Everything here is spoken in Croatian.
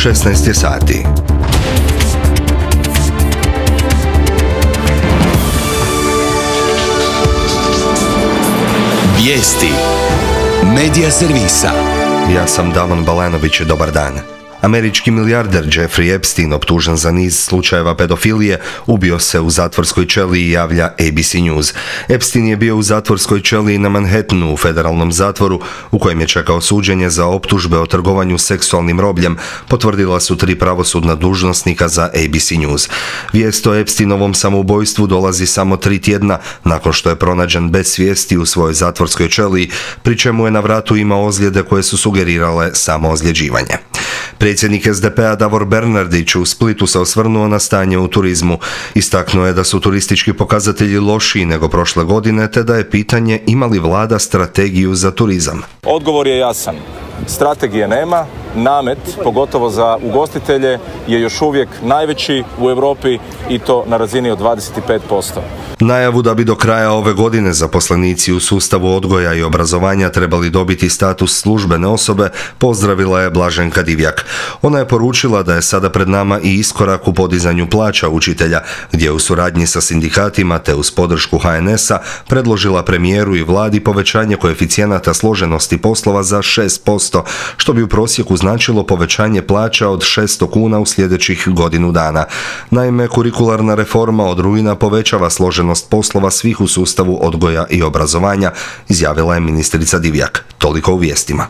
16 je sati. Vijesti Medija servisa. Ja sam Davon Balanović, dobar dan. Američki milijarder Jeffrey Epstein, optužen za niz slučajeva pedofilije, ubio se u zatvorskoj ćeliji, javlja ABC News. Epstein je bio u zatvorskoj ćeliji na Manhattanu u federalnom zatvoru u kojem je čekao suđenje za optužbe o trgovanju seksualnim robljem, potvrdila su 3 pravosudna dužnosnika za ABC News. Vijest o Epsteinovom samoubojstvu dolazi samo 3 tjedna nakon što je pronađen bez svijesti u svojoj zatvorskoj ćeliji, pri čemu je na vratu imao ozljede koje su sugerirale samoozljeđivanje. Predsjednik SDP-a Davor Bernardić u Splitu se osvrnuo na stanje u turizmu. Istaknuo je da su turistički pokazatelji lošiji nego prošle godine, te da je pitanje ima li vlada strategiju za turizam. Odgovor je jasan. Strategije nema, namet, pogotovo za ugostitelje, je još uvijek najveći u Europi i to na razini od 25%. Najavu da bi do kraja ove godine zaposlenici u sustavu odgoja i obrazovanja trebali dobiti status službene osobe pozdravila je Blaženka Divjak. Ona je poručila da je sada pred nama i iskorak u podizanju plaća učitelja, gdje u suradnji sa sindikatima te uz podršku HNS-a predložila premijeru i vladi povećanje koeficijenata složenosti poslova za 6%, što bi u prosjeku značilo povećanje plaća od 600 kuna u sljedećih godinu dana. Naime, kurikularna reforma od rujna povećava složenost poslova svih u sustavu odgoja i obrazovanja, izjavila je ministrica Divjak. Toliko u vijestima.